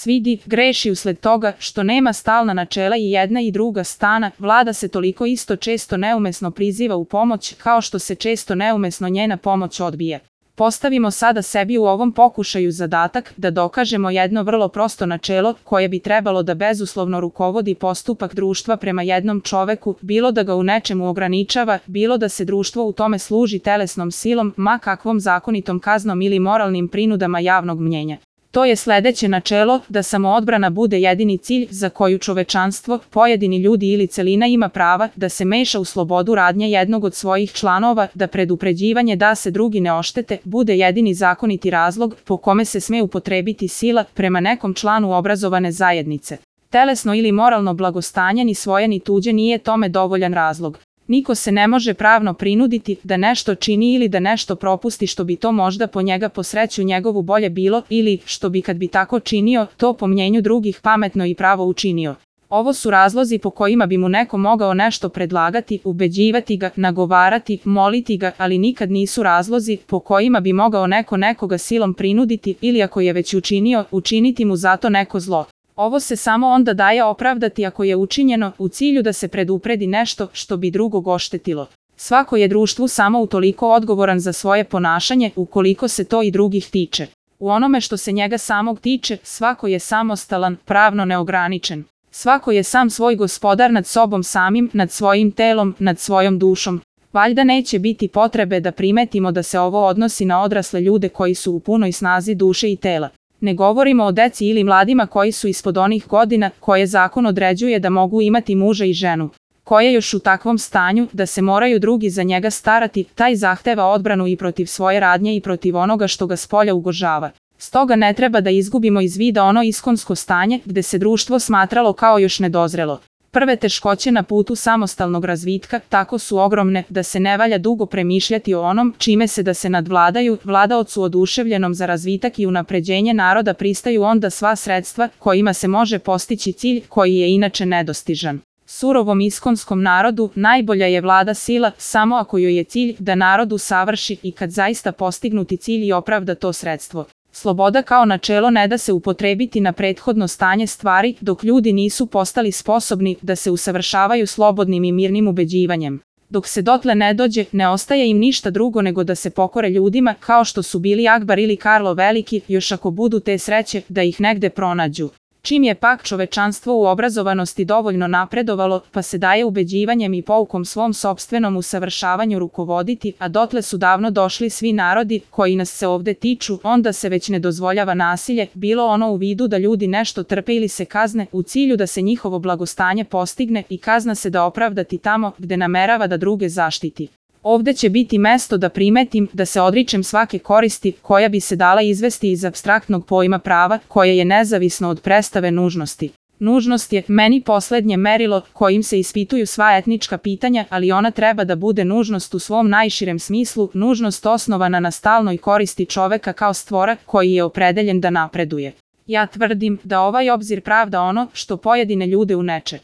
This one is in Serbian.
svidi, greši usled toga što nema stalna načela i jedna i druga strana, vlada se toliko isto često neumesno priziva u pomoć, kao što se često neumesno njena pomoć odbija. Postavimo sada sebi u ovom pokušaju zadatak da dokažemo jedno vrlo prosto načelo koje bi trebalo da bezuslovno rukovodi postupak društva prema jednom čoveku, bilo da ga u nečemu ograničava, bilo da se društvo u tome služi telesnom silom, ma kakvom zakonitom kaznom ili moralnim prinudama javnog mnjenja. To je sledeće načelo, da samoodbrana bude jedini cilj za koju čovečanstvo, pojedini ljudi ili celina ima prava da se meša u slobodu radnje jednog od svojih članova, da predupređivanje da se drugi ne oštete bude jedini zakoniti razlog po kome se sme upotrebiti sila prema nekom članu obrazovane zajednice. Telesno ili moralno blagostanje ni svoje ni tuđe nije tome dovoljan razlog. Niko se ne može pravno prinuditi da nešto čini ili da nešto propusti što bi to možda po njega po sreću njegovu bolje bilo ili što bi kad bi tako činio to po mnjenju drugih pametno i pravo učinio. Ovo su razlozi po kojima bi mu neko mogao nešto predlagati, ubeđivati ga, nagovarati, moliti ga, ali nikad nisu razlozi po kojima bi mogao neko nekoga silom prinuditi ili ako je već učinio, učiniti mu zato neko zlo. Ovo se samo onda daje opravdati ako je učinjeno u cilju da se predupredi nešto što bi drugog oštetilo. Svako je društvu samo utoliko odgovoran za svoje ponašanje ukoliko se to i drugih tiče. U onome što se njega samog tiče, svako je samostalan, pravno neograničen. Svako je sam svoj gospodar nad sobom samim, nad svojim telom, nad svojom dušom. Valjda neće biti potrebe da primetimo da se ovo odnosi na odrasle ljude koji su u punoj snazi duše i tela. Ne govorimo o deci ili mladima koji su ispod onih godina koje zakon određuje da mogu imati muža i ženu, koje još u takvom stanju da se moraju drugi za njega starati, taj zahteva odbranu i protiv svoje radnje i protiv onoga što ga spolja ugrožava. Stoga ne treba da izgubimo iz vida ono iskonsko stanje gde se društvo smatralo kao još nedozrelo. Prve teškoće na putu samostalnog razvitka tako su ogromne da se ne valja dugo premišljati o onom čime se da se nadvladaju, vladaocu oduševljenom za razvitak i unapređenje naroda pristaju onda sva sredstva kojima se može postići cilj koji je inače nedostižan. Surovom iskonskom narodu najbolja je vlada sila samo ako joj je cilj da narodu savrši i kad zaista postignuti cilj i opravda to sredstvo. Sloboda kao načelo ne da se upotrebiti na prethodno stanje stvari dok ljudi nisu postali sposobni da se usavršavaju slobodnim i mirnim ubeđivanjem. Dok se dotle ne dođe, ne ostaje im ništa drugo nego da se pokore ljudima kao što su bili Akbar ili Karlo Veliki, još ako budu te sreće da ih negde pronađu. Čim je pak čovečanstvo u obrazovanosti dovoljno napredovalo, pa se daje ubeđivanjem i poukom svom sopstvenom usavršavanju rukovoditi, a dotle su davno došli svi narodi koji nas se ovde tiču, onda se već ne dozvoljava nasilje, bilo ono u vidu da ljudi nešto trpe ili se kazne, u cilju da se njihovo blagostanje postigne i kazna se da opravdati tamo gde namerava da druge zaštiti. Ovde će biti mesto da primetim da se odričem svake koristi koja bi se dala izvesti iz apstraktnog pojma prava koje je nezavisno od predstave nužnosti. Nužnost je meni poslednje merilo kojim se ispituju sva etnička pitanja, ali ona treba da bude nužnost u svom najširem smislu, nužnost osnovana na stalnoj koristi čoveka kao stvora koji je opredeljen da napreduje. Ja tvrdim da ovaj obzir pravda ono što pojedine ljude uneče.